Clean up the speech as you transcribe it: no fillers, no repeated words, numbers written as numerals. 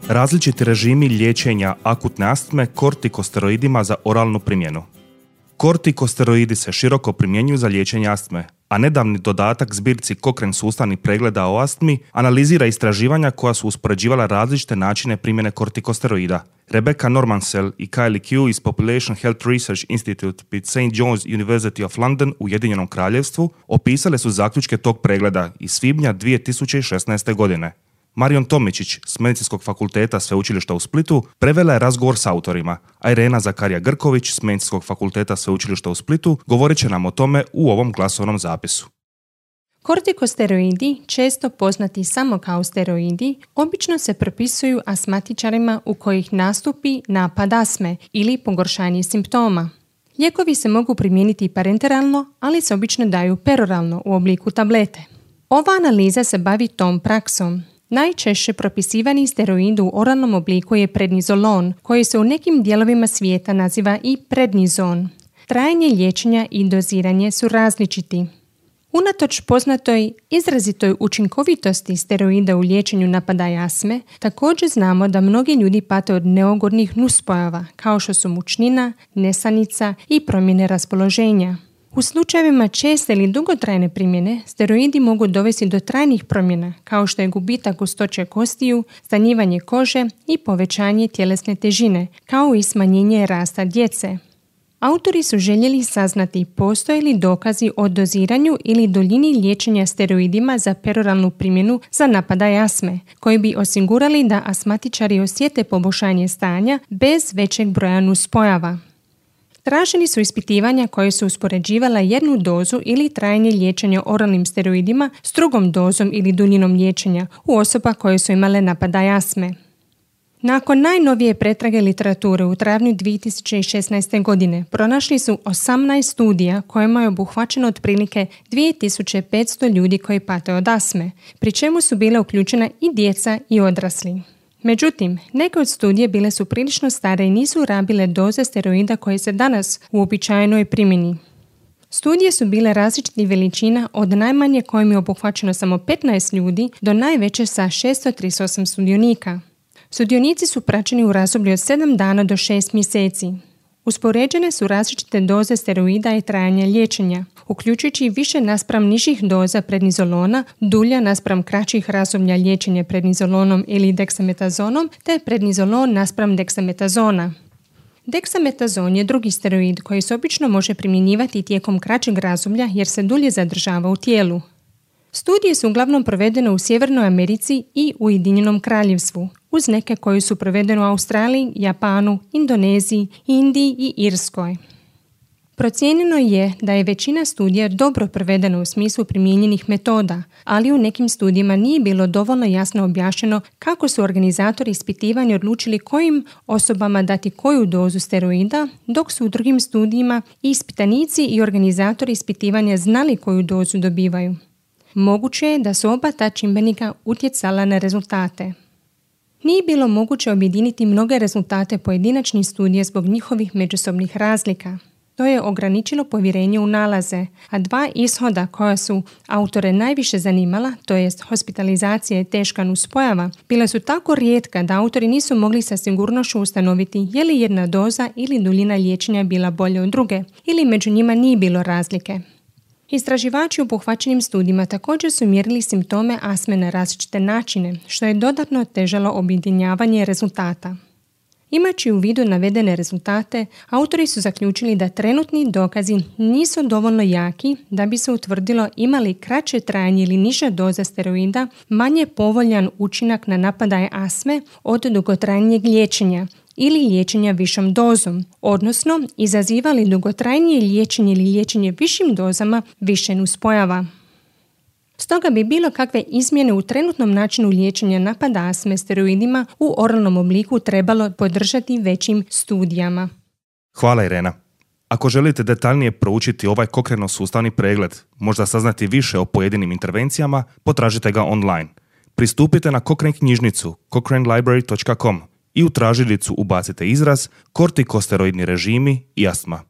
Različiti režimi liječenja akutne astme kortikosteroidima za oralnu primjenu. Kortikosteroidi se široko primjenjuju za liječenje astme, a nedavni dodatak zbirci Cochrane sustavnih pregleda o astmi analizira istraživanja koja su uspoređivala različite načine primjene kortikosteroida. Rebecca Normansel i Kylie Q iz Population Health Research Institute pri St. John's University of London u Ujedinjenom Kraljevstvu opisale su zaključke tog pregleda iz svibnja 2016. godine. Marion Tomičić s Medicinskog fakulteta Sveučilišta u Splitu prevela je razgovor s autorima, a Irena Zakarija-Grković s Medicinskog fakulteta Sveučilišta u Splitu govorit će nam o tome u ovom glasovnom zapisu. Kortikosteroidi, često poznati samo kao steroidi, obično se propisuju astmatičarima u kojih nastupi napad astme ili pogoršanje simptoma. Lijekovi se mogu primijeniti parenteralno, ali se obično daju peroralno u obliku tablete. Ova analiza se bavi tom praksom. Najčešće propisivani steroid u oralnom obliku je prednizolon, koji se u nekim dijelovima svijeta naziva i prednizon. Trajanje liječenja i doziranje su različiti. Unatoč poznatoj izrazitoj učinkovitosti steroida u liječenju napadaja astme, također znamo da mnogi ljudi pate od neugodnih nuspojava, kao što su mučnina, nesanica i promjene raspoloženja. U slučajevima česte ili dugotrajne primjene, steroidi mogu dovesti do trajnih promjena, kao što je gubitak gustoće kostiju, stanjivanje kože i povećanje tjelesne težine, kao i smanjenje rasta djece. Autori su željeli saznati postoje li dokazi o doziranju ili duljini liječenja steroidima za peroralnu primjenu za napadaj astme, koji bi osigurali da astmatičari osjete poboljšanje stanja bez većeg broja nuspojava. Traženi su ispitivanja koje su uspoređivala jednu dozu ili trajanje liječenja oralnim steroidima s drugom dozom ili duljinom liječenja u osoba koje su imale napadaj astme. Nakon najnovije pretrage literature u travnju 2016. godine pronašli su 18 studija kojima je obuhvaćeno otprilike 2500 ljudi koji pate od astme, pri čemu su bile uključena i djeca i odrasli. Međutim, neke od studije bile su prilično stare i nisu rabile doze steroida koje se danas u uobičajenoj primjeni. Studije su bile različitih veličina od najmanje kojim je obuhvaćeno samo 15 ljudi do najveće sa 638 sudionika. Sudionici su praćeni u razdoblju od 7 dana do 6 mjeseci. Uspoređene su različite doze steroida i trajanja liječenja, uključujući više naspram nižih doza prednizolona, dulja naspram kraćih razdoblja liječenja prednizolonom ili deksametazonom, te prednizolon naspram deksametazona. Deksametazon je drugi steroid koji se obično može primjenjivati tijekom kraćeg razdoblja jer se dulje zadržava u tijelu. Studije su uglavnom provedene u Sjevernoj Americi i u Ujedinjenom Kraljevstvu, uz neke koje su provedene u Australiji, Japanu, Indoneziji, Indiji i Irskoj. Procijenjeno je da je većina studija dobro provedena u smislu primijenjenih metoda, ali u nekim studijima nije bilo dovoljno jasno objašnjeno kako su organizatori ispitivanja odlučili kojim osobama dati koju dozu steroida, dok su u drugim studijima ispitanici i organizatori ispitivanja znali koju dozu dobivaju. Moguće je da su oba ta čimbenika utjecala na rezultate. Nije bilo moguće objediniti mnoge rezultate pojedinačnih studija zbog njihovih međusobnih razlika. To je ograničilo povjerenje u nalaze, a dva ishoda koja su autore najviše zanimala, to jest hospitalizacija i teška nuspojava, bila su tako rijetka da autori nisu mogli sa sigurnošću ustanoviti je li jedna doza ili duljina liječenja bila bolja od druge, ili među njima nije bilo razlike. Istraživači u obuhvaćenim studijima također su mjerili simptome astme na različite načine, što je dodatno otežalo objedinjavanje rezultata. Imajući u vidu navedene rezultate, autori su zaključili da trenutni dokazi nisu dovoljno jaki da bi se utvrdilo imali kraće trajanje ili niža doza steroida manje povoljan učinak na napadaje astme od dugotrajnijeg liječenja ili liječenja višom dozom, odnosno izazivali dugotrajnije liječenje ili liječenje višim dozama više nuspojava. Stoga bi bilo kakve izmjene u trenutnom načinu liječenja napada astme steroidima u oralnom obliku trebalo podržati većim studijama. Hvala Irena. Ako želite detaljnije proučiti ovaj Cochraneov sustavni pregled, možda saznati više o pojedinim intervencijama, potražite ga online. Pristupite na Cochrane knjižnicu cochranelibrary.com i u tražilicu ubacite izraz kortikosteroidni režimi i astma.